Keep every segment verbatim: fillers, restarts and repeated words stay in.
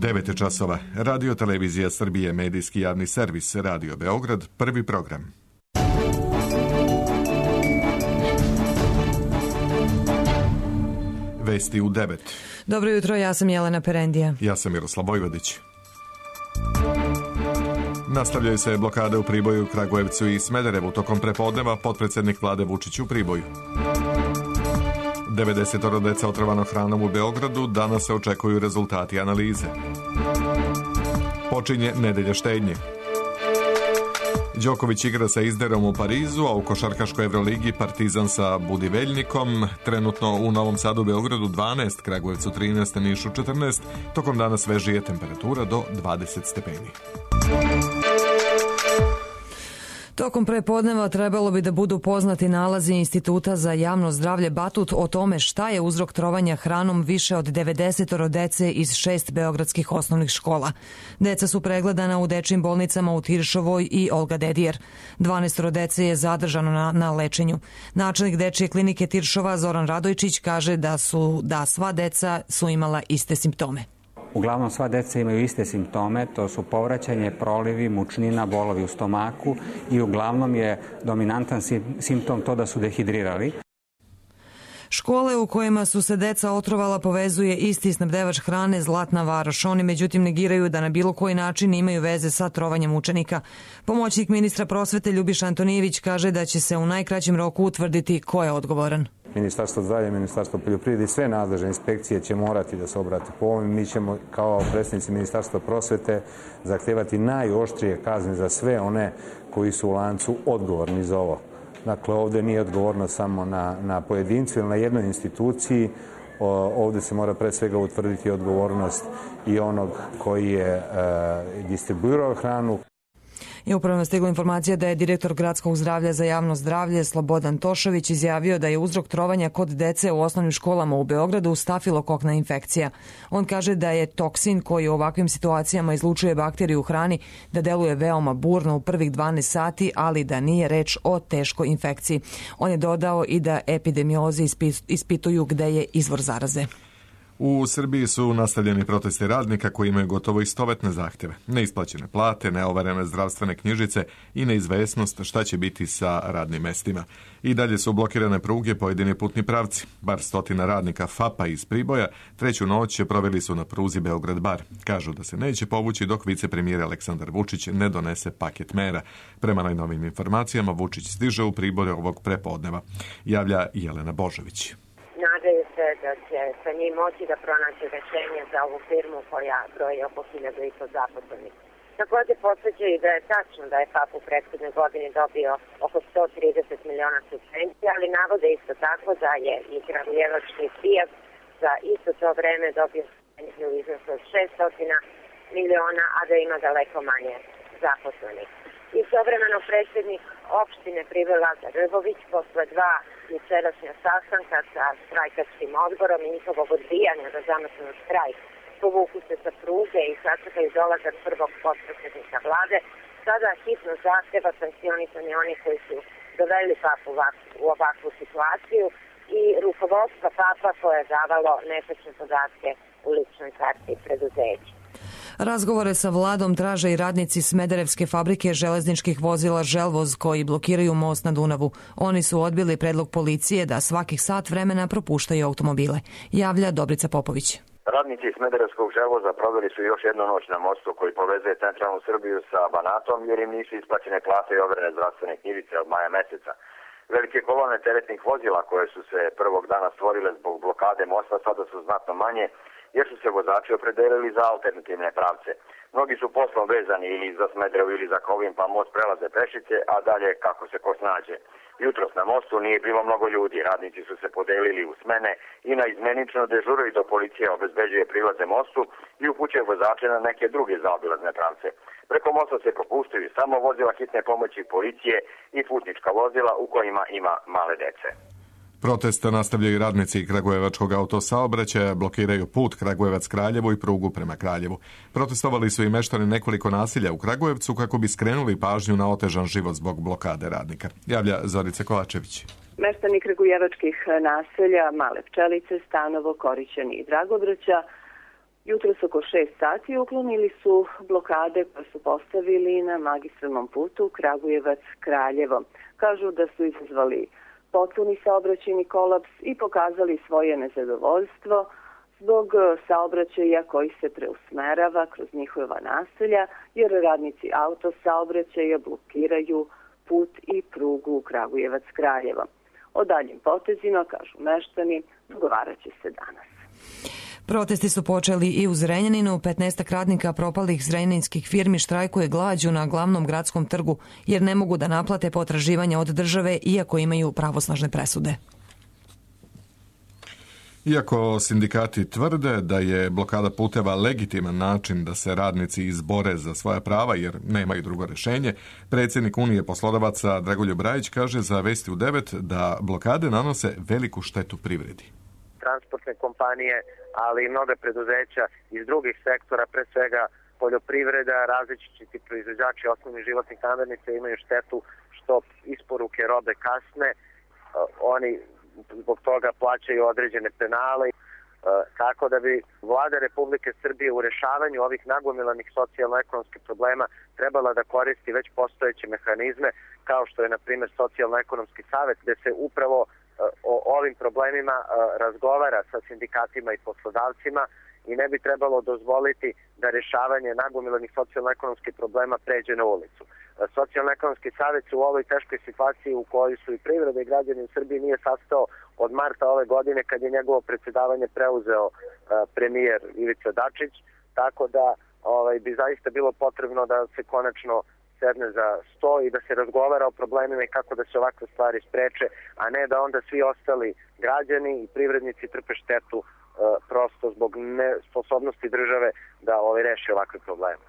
devet časova. Radio Televizija Srbije, medijski javni servis, Radio Beograd, prvi program. Vesti u devet. Dobro jutro, ja sam Jelena Perendija. Ja sam Miroslav Vojvodić. Nastavljaju se blokade u Priboju, Kragujevcu i Smederevu. Tokom prepodneva potpredsjednik vlade Vučić u Priboju. devedeset deca otrovano hranom u Beogradu, danas se očekuju rezultati analize. Počinje nedelja štednje. Đoković igra sa Izderom u Parizu, a u košarkaškoj Evroligi Partizan sa Budiveljnikom. Trenutno u Novom Sadu, Beogradu dvanaest, Kragujevcu trinaest, Nišu četrnaest. Tokom dana svežije temperatura do dvadeset stepeni. Tokom prepodneva trebalo bi da budu poznati nalazi Instituta za javno zdravlje Batut o tome šta je uzrok trovanja hranom više od devedeset dece iz šest beogradskih osnovnih škola. Deca su pregledana u dečjim bolnicama u Tiršovoj i Olga Dedijer. dvanaest dece je zadržano na, na lečenju. Načelnik dečje klinike Tiršova Zoran Radojčić kaže da su da sva deca su imala iste simptome. Uglavnom sva deca imaju iste simptome, to su povraćanje, prolivi, mučnina, bolovi u stomaku i uglavnom je dominantan simptom to da su dehidrirali. Škole u kojima su se deca otrovala povezuje isti snabdevač hrane Zlatna Varoš. Oni međutim negiraju da na bilo koji način imaju veze sa trovanjem učenika. Pomoćnik ministra prosvete Ljubiša Antonijević kaže da će se u najkraćem roku utvrditi ko je odgovoran. Ministarstvo zdravlja, Ministarstvo poljoprivrede i sve nadležne inspekcije će morati da se obrate po ovom. Mi ćemo kao predstavnici Ministarstva prosvete zahtevati najoštrije kazne za sve one koji su u lancu odgovorni za ovo. Dakle, ovdje nije odgovorno samo na, na pojedincu ili na jednoj instituciji. O, ovdje se mora pre svega utvrditi odgovornost i onog koji je e, distribuirao hranu. I upravo je stigla informacija da je direktor Gradskog zdravlja za javno zdravlje Slobodan Tošović izjavio da je uzrok trovanja kod dece u osnovnim školama u Beogradu stafilokokna infekcija. On kaže da je toksin koji u ovakvim situacijama izlučuje bakteriju u hrani da deluje veoma burno u prvih dvanaest sati, ali da nije reč o teškoj infekciji. On je dodao i da epidemiolozi ispituju gde je izvor zaraze. U Srbiji su nastavljeni protesti radnika koji imaju gotovo istovetne zahteve. Neisplaćene plate, neoverene zdravstvene knjižice i neizvesnost šta će biti sa radnim mestima. I dalje su blokirane pruge, pojedini putni pravci. Bar stotina radnika FAP-a iz Priboja treću noć proveli su na pruzi Beograd-Bar. Kažu da se neće povući dok vicepremijer Aleksandar Vučić ne donese paket mera. Prema najnovim informacijama Vučić stiže u Priboj ovog prepodneva. Javlja Jelena Božović. Nadaju se da će sa njim moći da pronaći rešenje za ovu firmu koja broji oko hiljadu i po zaposlenih. Također podsjećaju da je tačno da je FAP u prethodne godine dobio oko sto trideset miliona subvencija, ali navode isto tako da je i kragujevački Fijat za isto to vreme dobio subvenciju u iznosu od šesto miliona, a da ima daleko manje zaposlenih. Istovremeno predsjednik opštine Priboj Lazar Rbović posle dva jučerašnja sastanka sa štrajkačkim odborom i njihovog odbijanja da zamrznu štrajk povuku se sa pruge i sačekaju dolazak prvog potpredsjednika vlade, sada hitno zahteva sankcionisanje onih koji su doveli FAP u ovakvu situaciju i rukovodstva FAP-a koje je davalo netačne podatke u ličnoj karti preduzeća. Razgovore sa vladom traže i radnici Smederevske fabrike železničkih vozila Želvoz koji blokiraju most na Dunavu. Oni su odbili predlog policije da svakih sat vremena propuštaju automobile. Javlja Dobrica Popović. Radnici Smederevskog Želvoza proveli su još jednu noć na mostu koji povezuje centralnu Srbiju sa Banatom jer im nisu isplaćene plate i overene zdravstvene knjižice od maja meseca. Velike kolone teretnih vozila koje su se prvog dana stvorile zbog blokade mosta sada su znatno manje jer su se vozači opredelili za alternativne pravce. Mnogi su poslom vezani ili za Smederevo ili za Kovin pa most prelaze pešice, a dalje kako se ko snađe. Jutros na mostu nije bilo mnogo ljudi, radnici su se podelili u smene i na izmenično dežuraju do policije obezbeđuje prilaze mostu i upućuje vozače na neke druge zaobilazne pravce. Preko mosta se propuštaju samo vozila hitne pomoći policije i putnička vozila u kojima ima male dece. Protest nastavljaju radnici Kragujevačkog autosaobraćaja, blokiraju put Kragujevac-Kraljevo i prugu prema Kraljevu. Protestovali su i meštani nekoliko nasilja u Kragujevcu kako bi skrenuli pažnju na otežan život zbog blokade radnika. Javlja Zorica Kovačević. Meštani kragujevačkih naselja Male Pčelice, Stanovo, Korićani i Dragobraća Jutros oko šest sati uklonili su blokade koje su postavili na magistralnom putu Kragujevac-Kraljevo. Kažu da su izazvali potpuni saobraćajni kolaps i pokazali svoje nezadovoljstvo zbog saobraćaja koji se preusmerava kroz njihova naselja, jer radnici autosaobraćaja blokiraju put i prugu Kragujevac-Kraljevo. O daljim potezima, kažu meštani, dogovarat će se danas. Protesti su počeli i u Zrenjaninu. petnaestak radnika propalih zrenjaninskih firmi štrajkuje glađu na glavnom gradskom trgu jer ne mogu da naplate potraživanja od države iako imaju pravosnažne presude. Iako sindikati tvrde da je blokada puteva legitiman način da se radnici izbore za svoja prava jer nemaju drugo rješenje, predsjednik Unije poslodavaca Dragoljub Rajić kaže za Vesti u devet da blokade nanose veliku štetu privredi. Transportne kompanije, ali i mnoga preduzeća iz drugih sektora, pre svega poljoprivreda, različiti proizvođači osnovnih životnih namirnica imaju štetu što isporuke robe kasne. Oni zbog toga plaćaju određene penale. Tako da bi Vlada Republike Srbije u rešavanju ovih nagomilanih socijalno-ekonomskih problema trebala da koristi već postojeće mehanizme, kao što je, na primjer, Socijalno-ekonomski savet, gde se upravo o ovim problemima razgovara sa sindikatima i poslodavcima i ne bi trebalo dozvoliti da rešavanje nagomilanih socijalno-ekonomskih problema pređe na ulicu. Socijalno-ekonomski savjet u ovoj teškoj situaciji u kojoj su i privreda i građani u Srbiji nije sastao od marta ove godine kad je njegovo predsjedavanje preuzeo premijer Ivica Dačić, tako da ovaj, bi zaista bilo potrebno da se konačno sedne za sto i da se razgovara o problemima i kako da se ovakve stvari spreče, a ne da onda svi ostali građani i privrednici trpe štetu e, prosto zbog nesposobnosti države da ovaj reši ovakve probleme.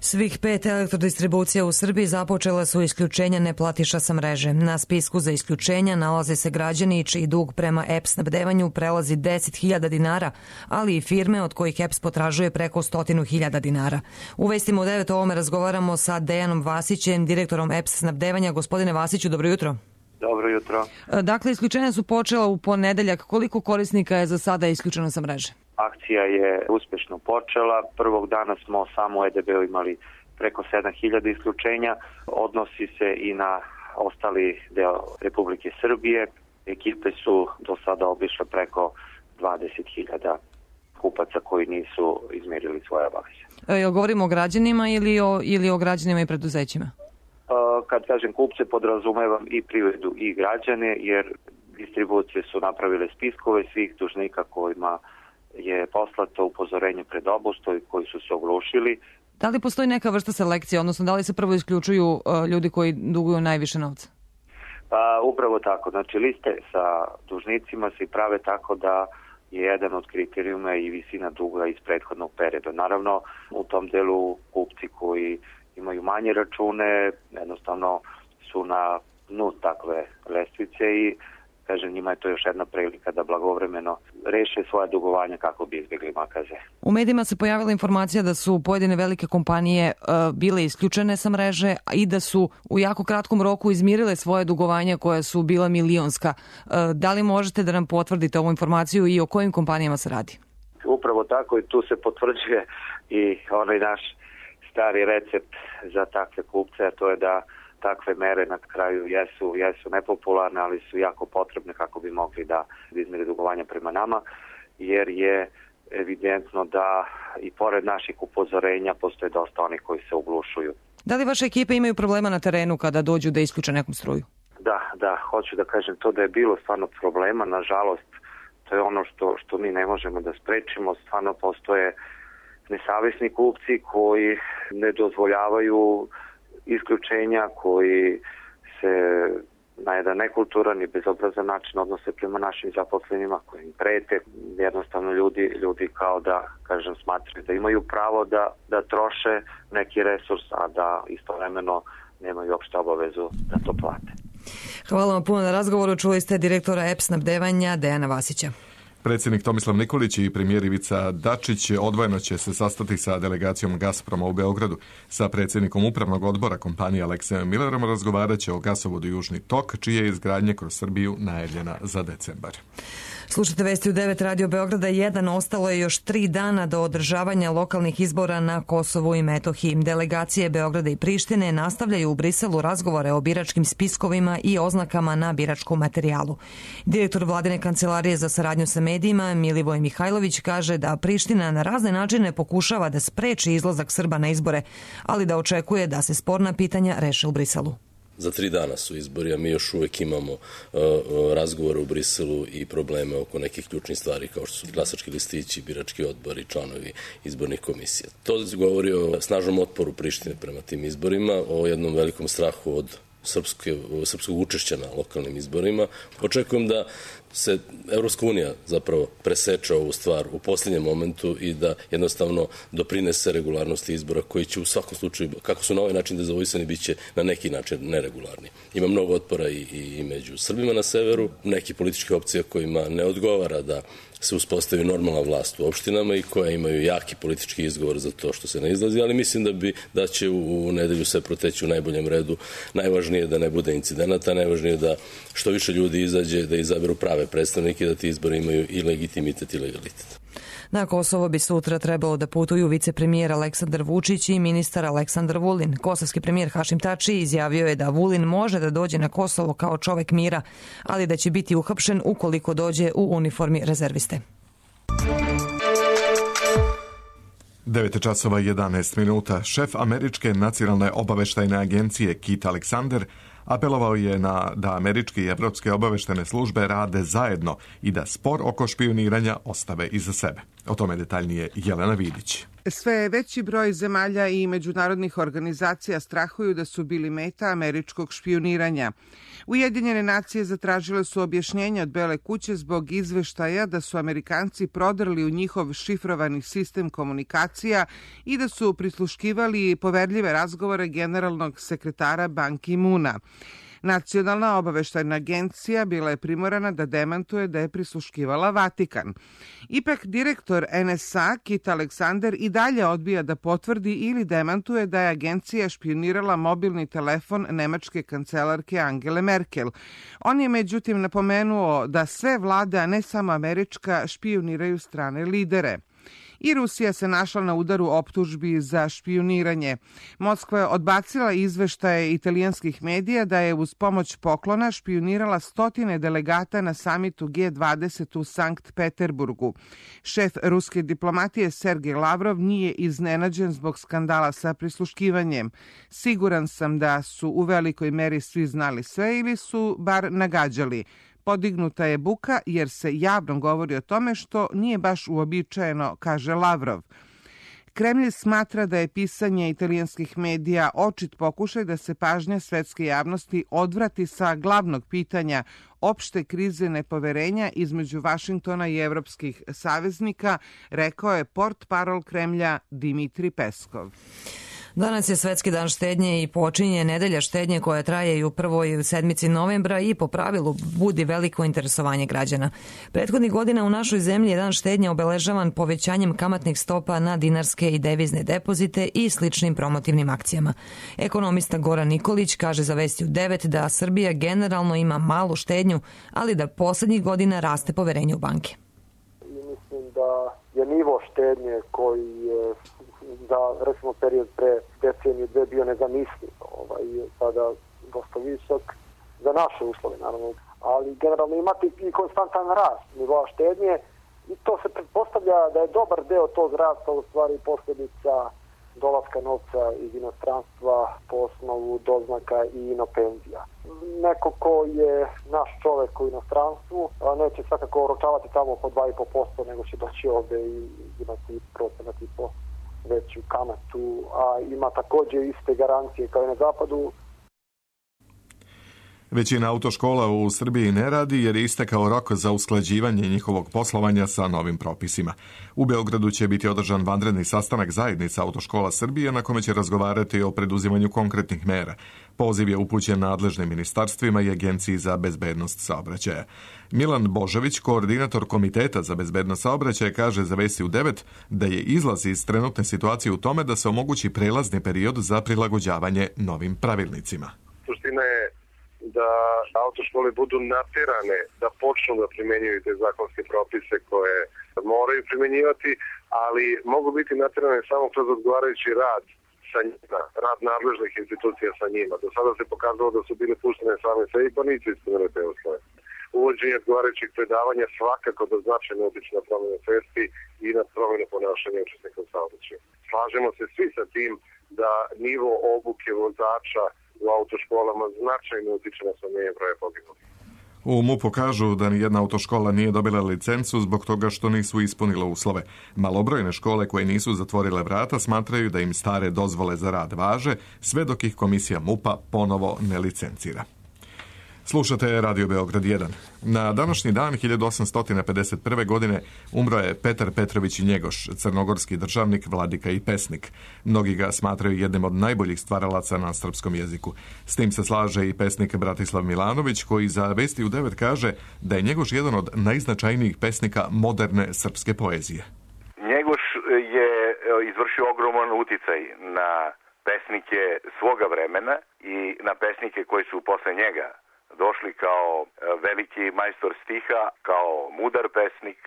Svih pet elektrodistribucija u Srbiji započela su isključenja neplatiša sa mreže. Na spisku za isključenja nalaze se građani čiji dug prema E P S snabdevanju prelazi deset hiljada dinara, ali i firme od kojih E P S potražuje preko sto hiljada dinara. U Vestima u devet o ovome razgovaramo sa Dejanom Vasićem, direktorom E P S snabdevanja. Gospodine Vasiću, dobro jutro. Dobro jutro. Dakle, isključenja su počela u ponedeljak. Koliko korisnika je za sada isključeno sa mreže? Akcija je uspešno počela. Prvog dana smo samo u E D B-u imali preko sedam hiljada isključenja. Odnosi se i na ostali deo Republike Srbije. Ekipe su do sada obišle preko dvadeset hiljada kupaca koji nisu izmirili svoje obaveze. E, govorimo o građanima ili o, ili o građanima i preduzećima? Kad kažem kupce, podrazumevam i privredu i građane, jer distribucije su napravile spiskove svih dužnika kojima je poslato upozorenje pred obustoj koji su se oglušili. Da li postoji neka vrsta selekcije, odnosno da li se prvo isključuju uh, ljudi koji duguju najviše novca? Pa, upravo tako. Znači, liste sa dužnicima se prave tako da je jedan od kriterijuma i visina duga iz prethodnog perioda. Naravno, u tom delu kupci koji imaju manje račune, jednostavno su na dnu takve lestvice i kažem, njima je to još jedna prilika da blagovremeno reše svoje dugovanja kako bi izbjegli makaze. U medijima se pojavila informacija da su pojedine velike kompanije uh, bile isključene sa mreže i da su u jako kratkom roku izmirile svoje dugovanja koja su bila milionska. Uh, da li možete da nam potvrdite ovu informaciju i o kojim kompanijama se radi? Upravo tako i tu se potvrđuje i onaj naš stari recept za takve kupce, a to je da takve mere na kraju jesu, jesu nepopularne, ali su jako potrebne kako bi mogli da izmire dugovanja prema nama, jer je evidentno da i pored naših upozorenja postoje dosta onih koji se uglušuju. Da li vaše ekipe imaju problema na terenu kada dođu da isključe nekom struju? Da, da, hoću da kažem to da je bilo stvarno problema, nažalost, to je ono što, što mi ne možemo da sprečimo, stvarno postoje nesavesni kupci koji ne dozvoljavaju isključenja, koji se na jedan nekulturan i bezobrazan način odnose prema našim zaposlenima, koji im prete. Jednostavno ljudi, ljudi kao da, kažem, smatraju da imaju pravo da, da troše neki resurs, a da istovremeno nemaju uopšte obavezu da to plate. Hvala vam puno na razgovoru. Čuli ste direktora E P S snabdevanja Dejana Vasića. Predsjednik Tomislav Nikolić i premijer Ivica Dačić odvojeno će se sastati sa delegacijom Gazproma u Beogradu. Sa predsjednikom upravnog odbora kompanije Aleksejom Millerom razgovarat će o gasovodu Južni tok, čije je izgradnje kroz Srbiju najavljena za decembar. Slušajte vesti u devet Radio Beograda jedan. Ostalo je još tri dana do održavanja lokalnih izbora na Kosovu i Metohiji. Delegacije Beograda i Prištine nastavljaju u Briselu razgovore o biračkim spiskovima i oznakama na biračkom materijalu. Direktor Vladine kancelarije za saradnju sa medijima Milivoj Mihajlović kaže da Priština na razne načine pokušava da spreči izlazak Srba na izbore, ali da očekuje da se sporna pitanja reše u Briselu. Za tri dana su izbori, a mi još uvek imamo uh, razgovore u Briselu i probleme oko nekih ključnih stvari kao što su glasački listići, birački odbor i članovi izbornih komisija. To govori o snažnom otporu Prištine prema tim izborima, o jednom velikom strahu od srpske, srpskog učešća na lokalnim izborima. Očekujem da se Evropska unija zapravo preseče ovu stvar u posljednjem momentu i da jednostavno doprinese regularnosti izbora koji će u svakom slučaju, kako su na ovaj način dezavuisani, bit će na neki način neregularni. Ima mnogo otpora i, i među Srbima na severu, neki političke opcije kojima ne odgovara da se uspostavi normalna vlast u opštinama i koja imaju jaki politički izgovor za to što se ne izlazi, ali mislim da bi da će u, u nedelju sve proteći u najboljem redu. Najvažnije je da ne bude incidenata, najvažnije je da što više ljudi izađe, da izaberu prave predstavnike, da ti izbori imaju i legitimitet i legalitet. Na Kosovo bi sutra trebalo da putuju vicepremijer Aleksandar Vučić i ministar Aleksandar Vulin. Kosovski premijer Hašim Tači izjavio je da Vulin može da dođe na Kosovo kao čovek mira, ali da će biti uhapšen ukoliko dođe u uniformi rezerviste. devet časova i jedanaest minuta. Šef Američke nacionalne obaveštajne agencije Kit Alexander apelovao je na da američke i evropske obaveštene službe rade zajedno i da spor oko špijuniranja ostave iza sebe. O tome detaljnije Jelena Vidić. Sve veći broj zemalja i međunarodnih organizacija strahuju da su bili meta američkog špijuniranja. Ujedinjene nacije zatražile su objašnjenja od Bele kuće zbog izveštaja da su Amerikanci prodrli u njihov šifrovani sistem komunikacija i da su prisluškivali poverljive razgovore generalnog sekretara Ban Ki-moona. Nacionalna obaveštajna agencija bila je primorana da demantuje da je prisluškivala Vatikan. Ipak direktor en es a Kit Alexander i dalje odbija da potvrdi ili demantuje da je agencija špijunirala mobilni telefon nemačke kancelarke Angele Merkel. On je međutim napomenuo da sve vlade, a ne samo američka, špijuniraju strane lidere. I Rusija se našla na udaru optužbi za špijuniranje. Moskva je odbacila izveštaje italijanskih medija da je uz pomoć poklona špijunirala stotine delegata na samitu G dvadeset u Sankt Peterburgu. Šef ruske diplomatije Sergej Lavrov nije iznenađen zbog skandala sa prisluškivanjem. Siguran sam da su u velikoj meri svi znali sve ili su bar nagađali. Podignuta je buka jer se javno govori o tome što nije baš uobičajeno, kaže Lavrov. Kremlj smatra da je pisanje italijanskih medija očit pokušaj da se pažnja svetske javnosti odvrati sa glavnog pitanja opšte krize nepoverenja između Vašingtona i evropskih saveznika, rekao je portparol Kremlja Dmitri Peskov. Danas je Svetski dan štednje i počinje nedelja štednje koja traje i u prvoj sedmici novembra i po pravilu budi veliko interesovanje građana. Prethodnih godina u našoj zemlji je dan štednje obeležavan povećanjem kamatnih stopa na dinarske i devizne depozite i sličnim promotivnim akcijama. Ekonomista Goran Nikolić kaže za Vesti u devet da Srbija generalno ima malu štednju, ali da poslednjih godina raste poverenje u banke. I mislim da je nivo štednje koji je za, recimo, period pre deceniju dve bio nezamisliv, ovaj, sada dosta visok za naše uslove, naravno. Ali generalno imate i konstantan rast nivoa štednje i to se pretpostavlja da je dobar deo tog rasta u stvari posljedica dolaska novca iz inostranstva po osnovu doznaka i inopenzija. Neko ko je naš čovek u inostranstvu neće svakako oročavati tamo po dva i po posto, nego će doći ovde i imati procenat i po veću kamatu, a ima također iste garancije kao i na zapadu. Većina autoškola u Srbiji ne radi jer je istekao rok za usklađivanje njihovog poslovanja sa novim propisima. U Beogradu će biti održan vanredni sastanak zajednica autoškola Srbije na kome će razgovarati o preduzimanju konkretnih mera. Poziv je upućen nadležnim ministarstvima i Agenciji za bezbednost saobraćaja. Milan Božović, koordinator Komiteta za bezbednost saobraćaja, kaže za Vesti u devet da je izlaz iz trenutne situacije u tome da se omogući prelazni period za prilagođavanje novim pravilnicima. Suština je da autoškole budu naterane da počnu da primenjuju te zakonske propise koje moraju primenjivati, ali mogu biti naterane samo kroz odgovarajući rad sa njima, rad nadležnih institucija sa njima. Do sada se pokazalo da su bile puštene same sebi, pa nisu ispunile te uslove. Uvođenje odgovarajućih predavanja svakako da značajno utiče na promjenu svesti i na promjenu ponašanja učesnika u saobraćaju. Slažemo se svi sa tim da nivo obuke vozača u autoškolama značajno utiče na smanjenje broja poginulih. U MUP-u kažu da ni jedna autoškola nije dobila licencu zbog toga što nisu ispunile uslove. Malobrojne škole koje nisu zatvorile vrata smatraju da im stare dozvole za rad važe, sve dok ih komisija MUP-a ponovo ne licencira. Slušate Radio Beograd jedan. Na današnji dan hiljadu osamsto pedeset prve. godine umro je Petar Petrović Njegoš, crnogorski državnik, vladika i pesnik. Mnogi ga smatraju jednim od najboljih stvaralaca na srpskom jeziku. S tim se slaže i pesnik Bratislav Milanović, koji za Vesti u devet kaže da je Njegoš jedan od najznačajnijih pesnika moderne srpske poezije. Njegoš je izvršio ogroman uticaj na pesnike svoga vremena i na pesnike koji su posle njega došli kao veliki majstor stiha, kao mudar pesnik,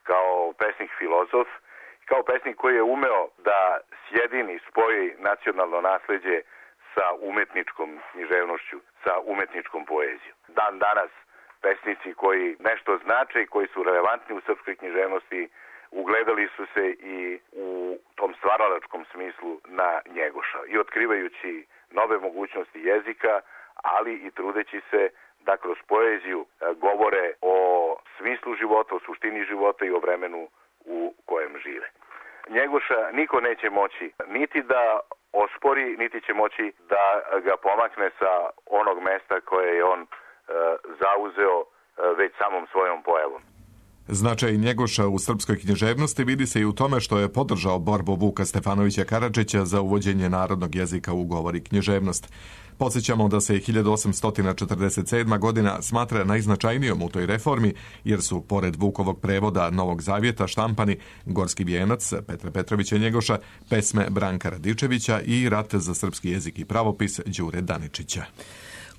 kao pesnik filozof, kao pesnik koji je umeo da sjedini, spoji nacionalno nasleđe sa umetničkom književnošću, sa umetničkom poezijom. Dan danas pesnici koji nešto znače i koji su relevantni u srpskoj književnosti ugledali su se i u tom stvaralačkom smislu na Njegoša i otkrivajući nove mogućnosti jezika, ali i trudeći se da kroz poeziju govore o smislu života, o suštini života i o vremenu u kojem žive. Njegoša niko neće moći niti da ospori, niti će moći da ga pomakne sa onog mesta koje je on e, zauzeo e, već samom svojom pojavom. Značaj Njegoša u srpskoj književnosti vidi se i u tome što je podržao borbu Vuka Stefanovića Karadžića za uvođenje narodnog jezika u govor i književnost. Podsjećamo da se hiljadu osamsto četrdeset sedma. godina smatra najznačajnijom u toj reformi, jer su, pored Vukovog prevoda Novog Zavjeta, štampani Gorski vijenac Petra Petrovića Njegoša, pesme Branka Radičevića i Rat za srpski jezik i pravopis Đure Daničića.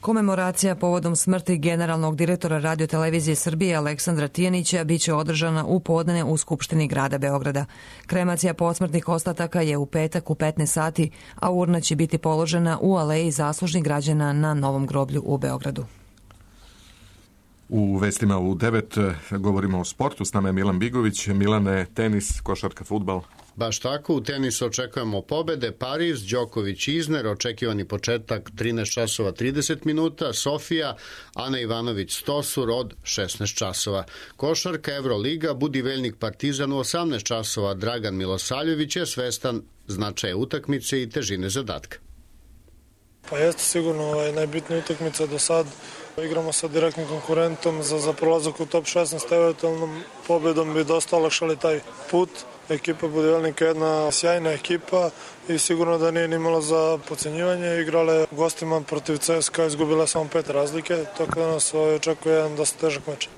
Komemoracija povodom smrti generalnog direktora Radio-televizije Srbije Aleksandra Tijanića biće održana u podne u Skupštini grada Beograda. Kremacija posmrtnih ostataka je u petak u petnaest sati, a urna će biti položena u aleji zaslužnih građana na Novom groblju u Beogradu. U vestima u devet govorimo o sportu. S nama je Milan Bigović. Milane, tenis, košarka, fudbal. Baš tako, u tenisu očekujemo pobede. Pariz, Đoković, Izner, očekivani početak trinaest časova trideset minuta, Sofija, Ana Ivanović, Stosur od šesnaest časova. Košarka, Evroliga, Budiveljnik, Partizan u osamnaest časova, Dragan Milosaljević je svestan značaja utakmice i težine zadatka. Pa jeste sigurno ovaj, najbitnija utakmica do sad. Igramo sa direktnim konkurentom za, za prolazak u top šesnaest, eventualnom pobedom bi dosta olakšali taj put. Ekipa Budivelnika je jedna sjajna ekipa i sigurno da nije nimalo za podcenjivanje. Igrale gostima protiv C S K A, izgubila samo pet razlike, tako da nas ovaj, očekuje jedan dosta težak meč.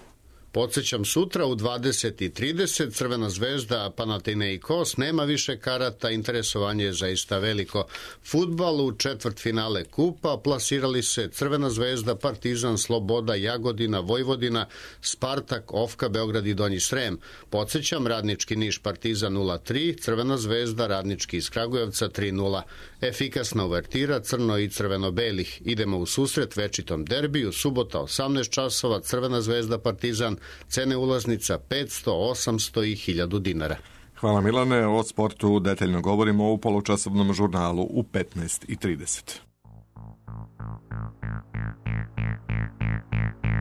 Podsjećam, sutra u dvadeset i trideset Crvena zvezda Panathinaikos, nema više karata, interesovanje je zaista veliko. Fudbal u četvrtfinale kupa, plasirali se Crvena zvezda, Partizan, Sloboda, Jagodina, Vojvodina, Spartak, Ofka, Beograd i Donji Srem. Podsjećam, Radnički Niš Partizan nula tri, Crvena zvezda Radnički iz Kragujevca tri nula. Efikasna uvertira crno i crveno-belih. Idemo u susret večitom derbiju, subota osamnaest časova, Crvena zvezda Partizan, cene ulaznica petsto, osamsto i hiljadu dinara. Hvala Milane, o sportu detaljno govorimo u polučasovnom žurnalu u petnaest i trideset.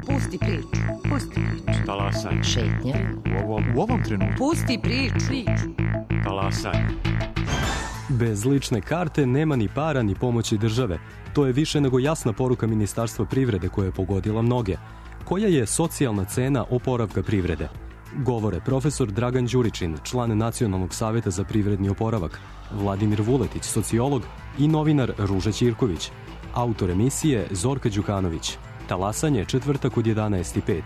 Pusti priču, pusti priču. Talasaj. Šetnja. U ovom, u ovom trenutku. Pusti priču. priču. Talasaj. Bez lične karte nema ni para ni pomoći države. To je više nego jasna poruka Ministarstva privrede koja je pogodila mnoge. Koja je socijalna cena oporavka privrede? Govore profesor Dragan Đuričin, član Nacionalnog saveta za privredni oporavak, Vladimir Vuletić, sociolog i novinar Ruža Ćirković. Autor emisije Zorka Đukanović. Talasanje četvrtak od jedanaest i pet.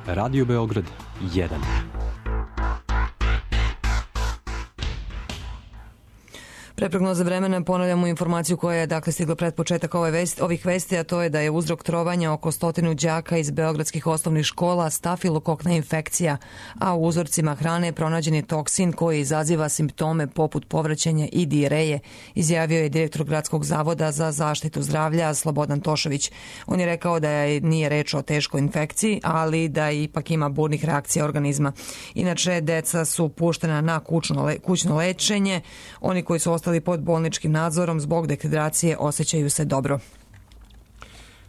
Radio Beograd jedan. Pre prognoze vremena ponavljamo informaciju koja je dakle stigla pred početak ove vesti, ovih vesti, a to je da je uzrok trovanja oko stotinu đaka iz beogradskih osnovnih škola stafilokokna infekcija, a u uzorcima hrane pronađen je toksin koji izaziva simptome poput povraćanja i dijereje, izjavio je direktor Gradskog zavoda za zaštitu zdravlja Slobodan Tošović. On je rekao da je, nije reč o teškoj infekciji, ali da ipak ima burnih reakcija organizma. Inače, deca su puštena na kućno, kućno lečenje. Oni koji su ostali pod bolničkim nadzorom zbog dehidracije osjećaju se dobro.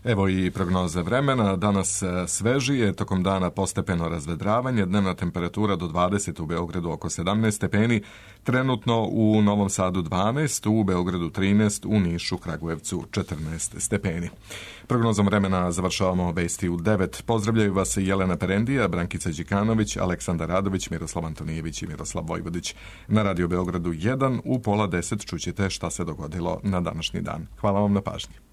Evo i prognoze vremena. Danas svežije, tokom dana postepeno razvedravanje, dnevna temperatura do dvadeset, u Beogradu oko sedamnaest stepeni, trenutno u Novom Sadu dvanaest, u Beogradu trinaest, u Nišu, Kragujevcu četrnaest stepeni. Prognozom vremena završavamo vesti u devet. Pozdravljaju vas Jelena Perendija, Brankica Đikanović, Aleksandar Radović, Miroslav Antonijević i Miroslav Vojvodić. Na Radio Beogradu jedan u pola deset čućete šta se dogodilo na današnji dan. Hvala vam na pažnji.